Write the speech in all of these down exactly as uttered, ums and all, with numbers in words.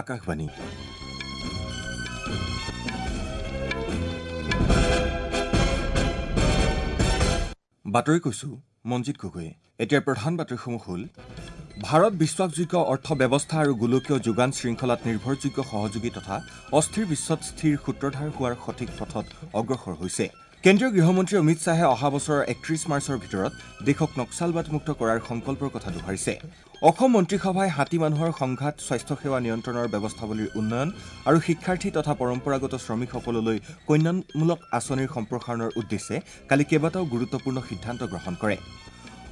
আকাশবাণী। বাতৰি কৈছো মঞ্জিত গগৈয়ে। এতিয়াৰ প্ৰধান বাতৰিসমূহ হ'ল: ভাৰত বিশ্বাসযোগ্য অৰ্থব্যৱস্থা আৰু গোলকীয় যোগান শৃংখলাত নিৰ্ভৰযোগ্য সহযোগী তথা অস্থিৰ বিশ্বত স্থিৰ সূত্ৰধাৰ হোৱাৰ সঠিক পথত অগ্ৰসৰ হৈছে। কেন্দ্ৰীয় গৃহমন্ত্ৰী অমিত শ্বাহে অহা বছৰৰ একত্ৰিশ মাৰ্চৰ ভিতৰত দেশক নক্সালবাদমুক্ত কৰাৰ সংকল্পৰ কথা দোহাৰিছে। অসম মন্ত্ৰীসভাই হাতী মানুহৰ সংঘাত, স্বাস্থ্যসেৱা নিয়ন্ত্ৰণৰ ব্যৱস্থাৱলীৰ উন্নয়ন আৰু শিক্ষাৰ্থী তথা পৰম্পৰাগত শ্ৰমিকসকললৈ কল্যাণমূলক আঁচনিৰ সম্প্ৰসাৰণৰ উদ্দেশ্যে কালি কেইবাটাও গুৰুত্বপূৰ্ণ সিদ্ধান্ত গ্ৰহণ কৰে।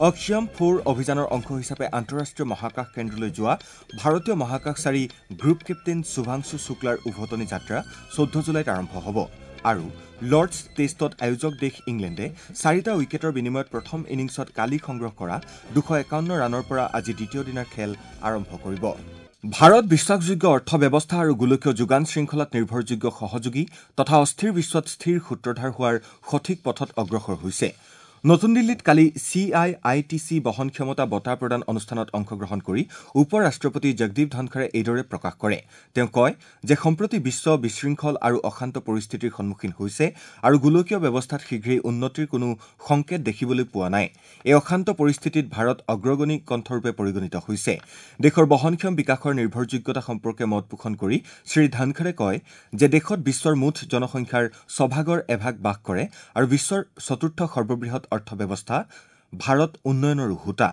অক্সিয়াম ফ'ৰ অভিযানৰ অংশ হিচাপে আন্তঃৰাষ্ট্ৰীয় মহাকাশ কেন্দ্ৰলৈ যোৱা ভাৰতীয় মহাকাশচাৰী গ্ৰুপ কেপ্টেইন শুভাংশু শুক্লাৰ উভতনি যাত্ৰা চৈধ্য জুলাইত আৰম্ভ হ'ব। আৰু লৰ্ডছ টেষ্টত আয়োজক দেশ ইংলেণ্ডে চাৰিটা উইকেটৰ বিনিময়ত প্ৰথম ইনিংছত কালি সংগ্ৰহ কৰা দুশ একাৱন্ন ৰানৰ পৰা আজি দ্বিতীয় দিনাৰ খেল আৰম্ভ কৰিব। ভাৰত বিশ্বাসযোগ্য অৰ্থব্যৱস্থা আৰু গোলকীয় যোগান শৃংখলাত নিৰ্ভৰযোগ্য সহযোগী তথা অস্থিৰ বিশ্বত স্থিৰ সূত্ৰধাৰ হোৱাৰ সঠিক পথত অগ্ৰসৰ হৈছে। নতুন দিল্লীত কালি C I I T C বহন ক্ষমতা বঁটা প্ৰদান অনুষ্ঠানত অংশগ্ৰহণ কৰি উপ ৰাষ্ট্ৰপতি জগদীপ ধনখৰে এইদৰে প্ৰকাশ কৰে। তেওঁ কয় যে সম্প্ৰতি বিশ্ব বিশৃংখল আৰু অশান্ত পৰিস্থিতিৰ সন্মুখীন হৈছে আৰু গোলকীয় ব্যৱস্থাত শীঘ্ৰেই উন্নতিৰ কোনো সংকেত দেখিবলৈ পোৱা নাই। এই অশান্ত পৰিস্থিতিত ভাৰত অগ্ৰগণী কণ্ঠৰূপে পৰিগণিত হৈছে। দেশৰ বহনক্ষম বিকাশৰ নিৰ্ভৰযোগ্যতা সম্পৰ্কে মত পোষণ কৰি শ্ৰী ধনখৰে কয় যে দেশত বিশ্বৰ মুঠ জনসংখ্যাৰ ছভাগৰ এভাগ বাস কৰে আৰু বিশ্বৰ চতুৰ্থ সৰ্ববৃহৎ অৰ্থব্যৱস্থা ভাৰত উন্নয়নৰ হোতা।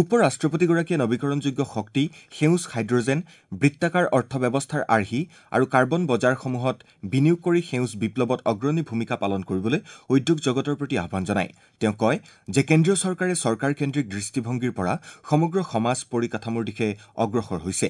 উপ ৰাষ্ট্ৰপতিগৰাকীয়ে নৱীকৰণযোগ্য শক্তি, সেউজ হাইড্ৰজেন, বৃত্তাকাৰ অৰ্থব্যৱস্থাৰ আৰ্হি আৰু কাৰ্বন বজাৰসমূহত বিনিয়োগ কৰি সেউজ বিপ্লৱত অগ্ৰণী ভূমিকা পালন কৰিবলৈ উদ্যোগ জগতৰ প্ৰতি আহ্বান জনায়। তেওঁ কয় যে কেন্দ্ৰীয় চৰকাৰে চৰকাৰকেন্দ্ৰিক দৃষ্টিভংগীৰ পৰা সমগ্ৰ সমাজ পৰিকাঠামোৰ দিশে অগ্ৰসৰ হৈছে।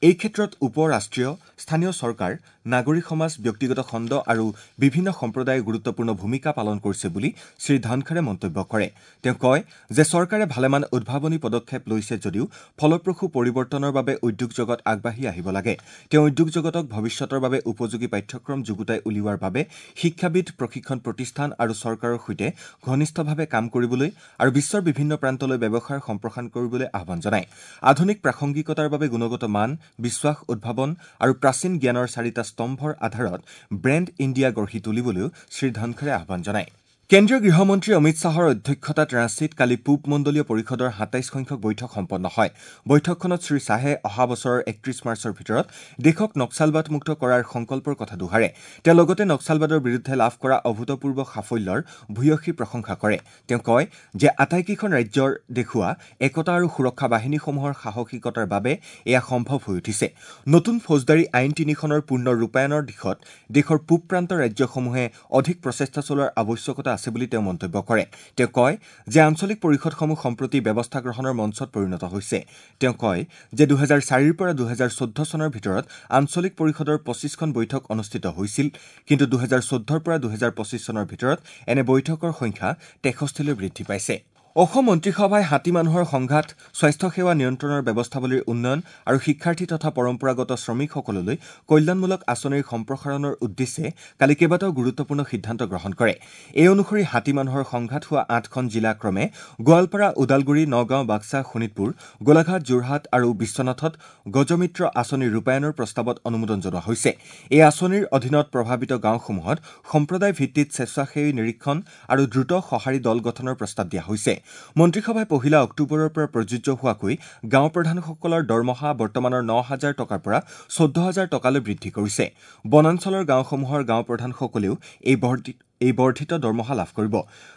এই ক্ষেত্ৰত উপ ৰাষ্ট্ৰীয়, স্থানীয় চৰকাৰ, নাগৰিক সমাজ, ব্যক্তিগত খণ্ড আৰু বিভিন্ন সম্প্ৰদায়ে গুৰুত্বপূৰ্ণ ভূমিকা পালন কৰিছে বুলি শ্ৰী ধনখৰে মন্তব্য কৰে। তেওঁ কয় যে চৰকাৰে ভালেমান উদ্ভাৱনী পদক্ষেপ লৈছে যদিও ফলপ্ৰসূ পৰিৱৰ্তনৰ বাবে উদ্যোগ জগত আগবাঢ়ি আহিব লাগে। তেওঁ উদ্যোগ জগতক ভৱিষ্যতৰ বাবে উপযোগী পাঠ্যক্ৰম যুগুতাই উলিওৱাৰ বাবে শিক্ষাবিদ, প্ৰশিক্ষণ প্ৰতিষ্ঠান আৰু চৰকাৰৰ সৈতে ঘনিষ্ঠভাৱে কাম কৰিবলৈ আৰু বিশ্বৰ বিভিন্ন প্ৰান্তলৈ ব্যৱসায় সম্প্ৰসাৰণ কৰিবলৈ আহ্বান জনায়। আধুনিক প্ৰাসংগিকতাৰ বাবে গুণগত মান, বিশ্বাস, উদ্ভাৱন আৰু প্ৰাচীন জ্ঞানৰ চাৰিটা স্তম্ভৰ আধাৰত ব্ৰেণ্ড ইণ্ডিয়া গঢ়ি তুলিবলৈও শ্ৰী ধনখৰে আহ্বান জনায়। কেন্দ্ৰীয় গৃহমন্ত্ৰী অমিত শ্বাহৰ অধ্যক্ষতাত ৰাঁচীত কালি পূব মণ্ডলীয় পৰিষদৰ সাতাইছ সংখ্যক বৈঠক সম্পন্ন হয়। বৈঠকখনত শ্ৰী শ্বাহে অহা বছৰৰ একত্ৰিশ মাৰ্চৰ ভিতৰত দেশক নক্সালবাদমুক্ত কৰাৰ সংকল্পৰ কথা দোহাৰে। তেওঁ লগতে নক্সালবাদৰ বিৰুদ্ধে লাভ কৰা অভূতপূৰ্ব সাফল্যৰ ভূয়সী প্ৰশংসা কৰে। তেওঁ কয় যে আটাইকেইখন ৰাজ্যৰ দেখুওৱা একতা আৰু সুৰক্ষা বাহিনীসমূহৰ সাহসিকতাৰ বাবে এয়া সম্ভৱ হৈ উঠিছে। নতুন ফৌজদাৰী আইন তিনিখনৰ পূৰ্ণ ৰূপায়ণৰ দিশত দেশৰ পূব প্ৰান্তৰ ৰাজ্যসমূহে অধিক প্ৰচেষ্টা চলোৱাৰ আৱশ্যকতা আছে বুলি তেওঁ মন্তব্য কৰে। তেওঁ কয় যে আঞ্চলিক পৰিষদসমূহ সম্প্ৰতি ব্যৱস্থা গ্ৰহণৰ মঞ্চত পৰিণত হৈছে। তেওঁ কয় যে দুহেজাৰ চাৰিৰ পৰা দুহেজাৰ চৈধ্য চনৰ ভিতৰত আঞ্চলিক পৰিষদৰ পঁচিছখন বৈঠক অনুষ্ঠিত হৈছিল, কিন্তু দুহেজাৰ চৈধ্যৰ পৰা দুহেজাৰ পঁচিছ চনৰ ভিতৰত এনে বৈঠকৰ সংখ্যা তেষষ্ঠিলৈ বৃদ্ধি পাইছে। অসম মন্ত্ৰীসভাই হাতী মানুহৰ সংঘাত, স্বাস্থ্যসেৱা নিয়ন্ত্ৰণৰ ব্যৱস্থাৱলীৰ উন্নয়ন আৰু শিক্ষাৰ্থী তথা পৰম্পৰাগত শ্ৰমিকসকললৈ কল্যাণমূলক আঁচনিৰ সম্প্ৰসাৰণৰ উদ্দেশ্যে কালি কেইবাটাও গুৰুত্বপূৰ্ণ সিদ্ধান্ত গ্ৰহণ কৰে। এই অনুসৰি হাতী মানুহৰ সংঘাত হোৱা আঠখন জিলা ক্ৰমে গোৱালপাৰা, ওদালগুৰি, নগাঁও, বাক্সা, শোণিতপুৰ, গোলাঘাট, যোৰহাট আৰু বিশ্বনাথত গজমিত্ৰ আঁচনি ৰূপায়ণৰ প্ৰস্তাৱত অনুমোদন জনোৱা হৈছে। এই আঁচনিৰ অধীনত প্ৰভাৱিত গাঁওসমূহত সম্প্ৰদায় ভিত্তিত স্বেচ্ছাসেৱী নিৰীক্ষণ আৰু দ্ৰুত সঁহাৰি দল গঠনৰ প্ৰস্তাৱ দিয়া হৈছে। মন্ত্ৰীসভাই পহিলা অক্টোবৰৰ পৰা প্ৰযোজ্য হোৱাকৈ গাঁও প্ৰধানসকলৰ দৰমহা বৰ্তমানৰ ন হাজাৰ টকাৰ পৰা চৈধ্য হাজাৰ টকালৈ বৃদ্ধি কৰিছে। বনাঞ্চলৰ গাঁওসমূহৰ গাঁও প্ৰধানসকলেও এই বৰ্ধিত এই বৰ্ধিত দৰমহা লাভ কৰিব।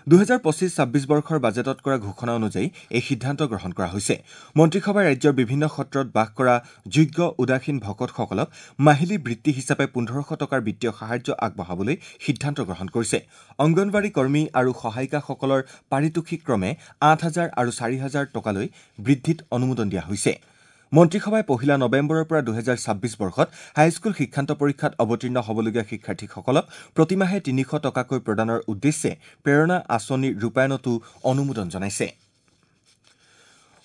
দুহেজাৰ পঁচিছ ছাব্বিছ বৰ্ষৰ বাজেটত কৰা ঘোষণা অনুযায়ী এই সিদ্ধান্ত গ্ৰহণ কৰা হৈছে। মন্ত্ৰীসভাই ৰাজ্যৰ বিভিন্ন সত্ৰত বাস কৰা যোগ্য উদাসীন ভকতসকলক মাহিলী বৃত্তি হিচাপে পোন্ধৰশ টকাৰ বিত্তীয় সাহায্য আগবঢ়াবলৈ সিদ্ধান্ত গ্ৰহণ কৰিছে। অংগনবাড়ী কৰ্মী আৰু সহায়িকাসকলৰ পাৰিতোষিক ক্ৰমে আঠ হাজাৰ আৰু চাৰি হাজাৰ টকালৈ বৃদ্ধিত অনুমোদন দিয়া হৈছে। মন্ত্ৰীসভাই পহিলা নৱেম্বৰৰ পৰা দুহেজাৰ ছাব্বিছ বৰ্ষত হাইস্কুল শিক্ষান্ত পৰীক্ষাত অৱতীৰ্ণ হ'বলগীয়া শিক্ষাৰ্থীসকলক প্ৰতিমাহে তিনিশ টকাকৈ প্ৰদানৰ উদ্দেশ্যে প্ৰেৰণা আঁচনি ৰূপায়ণতো অনুমোদন জনাইছে।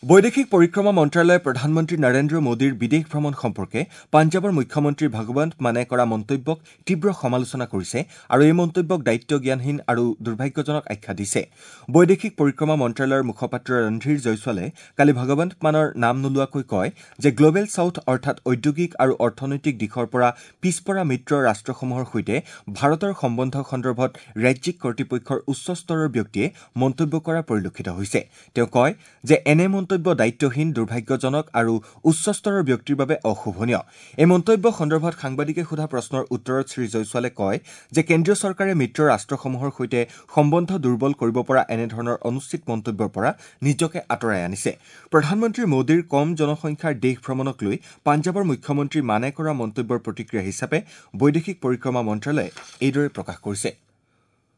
বৈদেশিক পৰিক্ৰমা মন্ত্ৰালয়ে প্ৰধানমন্ত্ৰী নৰেন্দ্ৰ মোদীৰ বিদেশ ভ্ৰমণ সম্পৰ্কে পাঞ্জাৱৰ মুখ্যমন্ত্ৰী ভগৱন্ত মানে কৰা মন্তব্যক তীব্ৰ সমালোচনা কৰিছে আৰু এই মন্তব্যক দায়িত্বজ্ঞানহীন আৰু দুৰ্ভাগ্যজনক আখ্যা দিছে। বৈদেশিক পৰিক্ৰমা মন্ত্ৰালয়ৰ মুখপাত্ৰ ৰণধীৰ জয়ছোৱালে কালি ভগৱন্ত মানৰ নাম নোলোৱাকৈ কয় যে গ্ল'বেল ছাউথ অৰ্থাৎ ঔদ্যোগিক আৰু অৰ্থনৈতিক দিশৰ পৰা পিছপৰা মিত্ৰ ৰাষ্ট্ৰসমূহৰ সৈতে ভাৰতৰ সম্বন্ধ সন্দৰ্ভত ৰাজ্যিক কৰ্তৃপক্ষৰ উচ্চ স্তৰৰ ব্যক্তিয়ে মন্তব্য কৰা পৰিলক্ষিত হৈছে। তেওঁ কয় যে এনে মন্তব্য দায়িত্বহীন, দুৰ্ভাগ্যজনক আৰু উচ্চ স্তৰৰ ব্যক্তিৰ বাবে অশোভনীয়। এই মন্তব্য সন্দৰ্ভত সাংবাদিকে সোধা প্ৰশ্নৰ উত্তৰত শ্ৰী জয়ছোৱালে কয় যে কেন্দ্ৰীয় চৰকাৰে মিত্ৰ ৰাষ্ট্ৰসমূহৰ সৈতে সম্বন্ধ দুৰ্বল কৰিব পৰা এনেধৰণৰ অনুচিত মন্তব্যৰ পৰা নিজকে আঁতৰাই আনিছে। প্ৰধানমন্ত্ৰী মোদীৰ কম জনসংখ্যাৰ দেশ ভ্ৰমণক লৈ পাঞ্জাৱৰ মুখ্যমন্ত্ৰী মানে কৰা মন্তব্যৰ প্ৰতিক্ৰিয়া হিচাপে বৈদেশিক পৰিক্ৰমা মন্ত্ৰালয়ে এইদৰে প্ৰকাশ কৰিছে।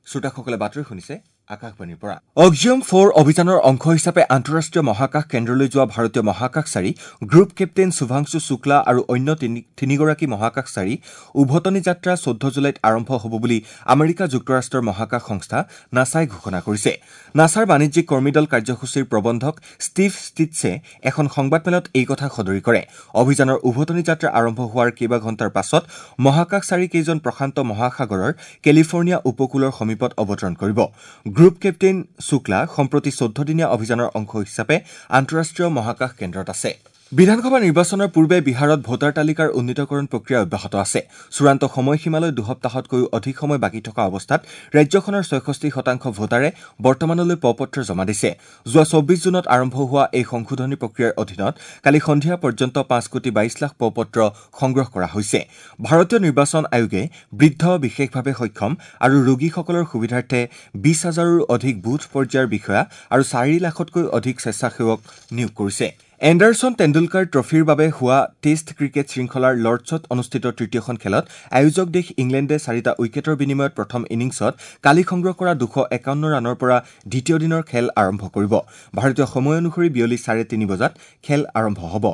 শ্ৰোতাসকলে বাতৰি শুনিছে আকাশবাণীৰ পৰা। অক্সিয়াম ফ'ৰ অভিযানৰ অংশ হিচাপে আন্তঃৰাষ্ট্ৰীয় মহাকাশ কেন্দ্ৰলৈ যোৱা ভাৰতীয় মহাকাশচাৰী গ্ৰুপ কেপ্টেইন শুভাংশু শুক্লা আৰু অন্য তিনিগৰাকী মহাকাশচাৰী উভতনি যাত্ৰা চৈধ্য জুলাইত আৰম্ভ হ'ব বুলি আমেৰিকা যুক্তৰাষ্ট্ৰৰ মহাকাশ সংস্থা নাছাই ঘোষণা কৰিছে। নাছাৰ বাণিজ্যিক কৰ্মীদল কাৰ্যসূচীৰ প্ৰবন্ধক ষ্টিভ ষ্টিটছে এখন সংবাদমেলত এই কথা সদৰি কৰে। অভিযানৰ উভতনি যাত্ৰা আৰম্ভ হোৱাৰ কেইবা ঘণ্টাৰ পাছত মহাকাশচাৰীকেইজন প্ৰশান্ত মহাসাগৰৰ কেলিফৰ্ণিয়া উপকূলৰ সমীপত অৱতৰণ কৰিব। গ্ৰুপ কেপ্টেইন শুক্লা সম্প্ৰতি চৈধ্যদিনীয়া অভিযানৰ অংশ হিচাপে আন্তঃৰাষ্ট্ৰীয় মহাকাশ কেন্দ্ৰত আছে। বিধানসভা নিৰ্বাচনৰ পূৰ্বে বিহাৰত ভোটাৰ তালিকাৰ উন্নীতকৰণ প্ৰক্ৰিয়া অব্যাহত আছে। চূড়ান্ত সময়সীমালৈ দুসপ্তাহতকৈও অধিক সময় বাকী থকা অৱস্থাত ৰাজ্যখনৰ ছয়ষষ্ঠি শতাংশ ভোটাৰে বৰ্তমানলৈ প-পত্ৰ জমা দিছে। যোৱা চৌব্বিছ জুনত আৰম্ভ হোৱা এই সংশোধনী প্ৰক্ৰিয়াৰ অধীনত কালি সন্ধিয়া পৰ্যন্ত পাঁচ কোটি বাইছ লাখ প-পত্ৰ সংগ্ৰহ কৰা হৈছে। ভাৰতীয় নিৰ্বাচন আয়োগে বৃদ্ধ, বিশেষভাৱে সক্ষম আৰু ৰোগীসকলৰ সুবিধাৰ্থে বিছ হাজাৰৰো অধিক বুথ পৰ্যায়ৰ বিষয়া আৰু চাৰি লাখতকৈ অধিক স্বেচ্ছাসেৱক নিয়োগ কৰিছে। এণ্ডাৰছন টেণ্ডুলকাৰ ট্ৰফীৰ বাবে হোৱা টেষ্ট ক্ৰিকেট শৃংখলাৰ লৰ্ডছত অনুষ্ঠিত তৃতীয়খন খেলত আয়োজক দেশ ইংলেণ্ডে চাৰিটা উইকেটৰ বিনিময়ত প্ৰথম ইনিংছত কালি সংগ্ৰহ কৰা দুশ একাৱন্ন ৰানৰ পৰা দ্বিতীয় দিনৰ খেল আৰম্ভ কৰিব। ভাৰতীয় সময় অনুসৰি বিয়লি চাৰে তিনি বজাত খেল আৰম্ভ হ'ব।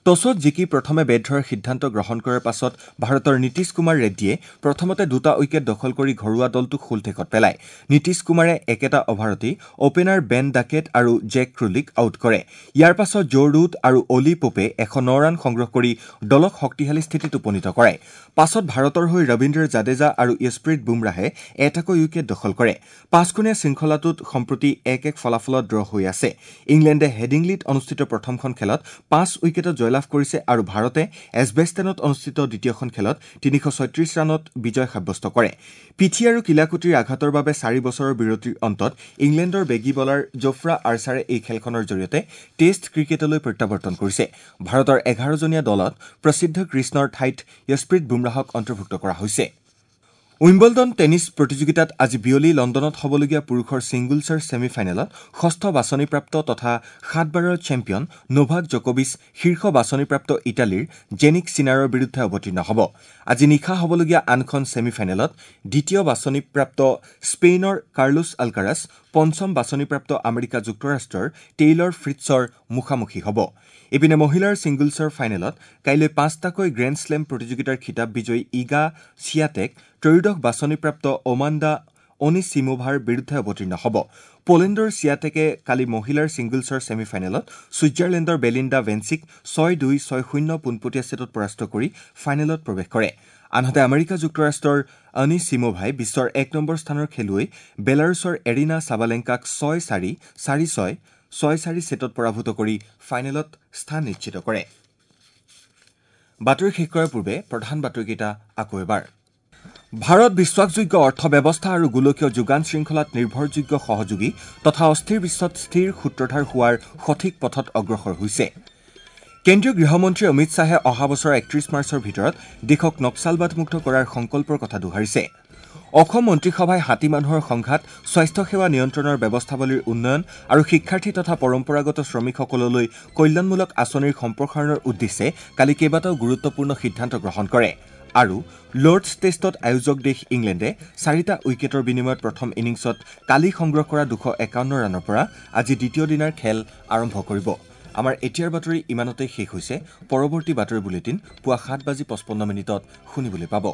টছত জিকি প্ৰথমে বেট ধৰাৰ সিদ্ধান্ত গ্ৰহণ কৰাৰ পাছত ভাৰতৰ নীতিশ কুমাৰ ৰেড্ডীয়ে প্ৰথমতে দুটা উইকেট দখল কৰি ঘৰুৱা দলটোক শূলঠেকত পেলায়। নীতিশ কুমাৰে একেটা অভাৰতেই অপেনাৰ বেন ডাকেট আৰু জেক ক্ৰুলিক আউট কৰে। ইয়াৰ পাছত জো ৰুট আৰু অলি পোপে এশ ন ৰান সংগ্ৰহ কৰি দলক শক্তিশালী স্থিতিত উপনীত কৰায়। পাছত ভাৰতৰ হৈ ৰবীন্দ্ৰ জাদেজা আৰু য়শপ্ৰীত বুমৰাহে এটাকৈ উইকেট দখল কৰে। পাঁচখনীয়া শৃংখলাটোত সম্প্ৰতি এক এক ফলাফলত ড্ৰ হৈ আছে। ইংলেণ্ডে হেডিংলিত অনুষ্ঠিত প্ৰথমখন খেলত পাঁচ উইকেটত জয়লাভ কৰিছে আৰু ভাৰতে এজবেষ্টেনত অনুষ্ঠিত দ্বিতীয়খন খেলত তিনিশ ছয়ত্ৰিশ ৰানত বিজয় সাব্যস্ত কৰে। পিঠি আৰু কিলাকুটিৰ আঘাতৰ বাবে চাৰি বছৰৰ বিৰতিৰ অন্তত ইংলেণ্ডৰ বেগী বলাৰ জোফ্ৰা আৰ্চাৰে এই খেলখনৰ জৰিয়তে টেষ্ট ক্ৰিকেটলৈ প্ৰত্যাৱৰ্তন কৰিছে। ভাৰতৰ এঘাৰজনীয়া দলত প্ৰসিদ্ধ কৃষ্ণৰ ঠাইত য়শপ্ৰীত বুমৰাহক অন্তৰ্ভুক্ত কৰা হৈছে। উইম্বলডন টেনিছ প্ৰতিযোগিতাত আজি বিয়লি লণ্ডনত হ'বলগীয়া পুৰুষৰ ছিংগলছৰ ছেমি ফাইনেলত ষষ্ঠ বাছনিপ্ৰাপ্ত তথা সাতবাৰৰ চেম্পিয়ন নোভাক জকোভিচ শীৰ্ষ বাছনিপ্ৰাপ্ত ইটালীৰ জেনিক চিনাৰৰ বিৰুদ্ধে অৱতীৰ্ণ হ'ব। আজি নিশা হ'বলগীয়া আনখন ছেমি ফাইনেলত দ্বিতীয় বাছনিপ্ৰাপ্ত স্পেইনৰ কাৰ্লোছ আলকাৰাছ পঞ্চম বাছনিপ্ৰাপ্ত আমেৰিকা যুক্তৰাষ্ট্ৰৰ টেইলৰ ফ্ৰিটছৰ মুখামুখি হ'ব। ইপিনে মহিলাৰ ছিংগলছৰ ফাইনেলত কাইলৈ পাঁচটাকৈ গ্ৰেণ্ড শ্লেম প্ৰতিযোগিতাৰ খিতাপ বিজয়ী ইগা চিয়াটেক ত্ৰয়োদশ বাছনিপ্ৰাপ্ত অমাণ্ডা অনিচিমোভাৰ বিৰুদ্ধে অৱতীৰ্ণ হ'ব। পোলেণ্ডৰ চিয়াটেকে কালি মহিলাৰ ছিংগলছৰ ছেমি ফাইনেলত ছুইজাৰলেণ্ডৰ বেলিণ্ডা ভেঞ্চিক ছয় দুই ছয় শূন্য পোনপটীয়া ছেটত পৰাস্ত কৰি ফাইনেলত প্ৰৱেশ কৰে। আনহাতে আমেৰিকা যুক্তৰাষ্ট্ৰৰ অনিচিমোভাই বিশ্বৰ এক নম্বৰ স্থানৰ খেলুৱৈ বেলাৰুছৰ এৰিনা চাবালেংকাক ছয় চাৰি চাৰি ছয় ছয় চাৰি ছেটত পৰাভূত কৰি ফাইনেলত স্থান নিশ্চিত কৰে। বাতৰি শেষ কৰাৰ পূৰ্বে প্ৰধান বাতৰিকেইটা আকৌ এবাৰ। ভাৰত বিশ্বাসযোগ্য অৰ্থব্যৱস্থা আৰু গোলকীয় যোগান শৃংখলাত নিৰ্ভৰযোগ্য সহযোগী তথা অস্থিৰ বিশ্বত স্থিৰ সূত্ৰধাৰ হোৱাৰ সঠিক পথত অগ্ৰসৰ হৈছে। কেন্দ্ৰীয় গৃহমন্ত্ৰী অমিত শ্বাহে অহা বছৰৰ একত্ৰিশ মাৰ্চৰ ভিতৰত দেশক নক্সালবাদমুক্ত কৰাৰ সংকল্পৰ কথা দোহাৰিছে। অসম মন্ত্ৰীসভাই হাতী মানুহৰ সংঘাত, স্বাস্থ্যসেৱা নিয়ন্ত্ৰণৰ ব্যৱস্থাৱলীৰ উন্নয়ন আৰু শিক্ষাৰ্থী তথা পৰম্পৰাগত শ্ৰমিকসকললৈ কল্যাণমূলক আঁচনিৰ সম্প্ৰসাৰণৰ উদ্দেশ্যে কালি কেইবাটাও গুৰুত্বপূৰ্ণ সিদ্ধান্ত গ্ৰহণ কৰে। আৰু লৰ্ডছ টেষ্টত আয়োজক দেশ ইংলেণ্ডে চাৰিটা উইকেটৰ বিনিময়ত প্ৰথম ইনিংছত কালি সংগ্ৰহ কৰা দুশ একাৱন্ন ৰানৰ পৰা আজি দ্বিতীয় দিনাৰ খেল আৰম্ভ কৰিব। আমাৰ এতিয়াৰ বাতৰি ইমানতে শেষ হৈছে। পৰৱৰ্তী বাতৰি বুলেটিন পুৱা সাত বাজি পঁচপন্ন মিনিটত শুনিবলৈ পাব।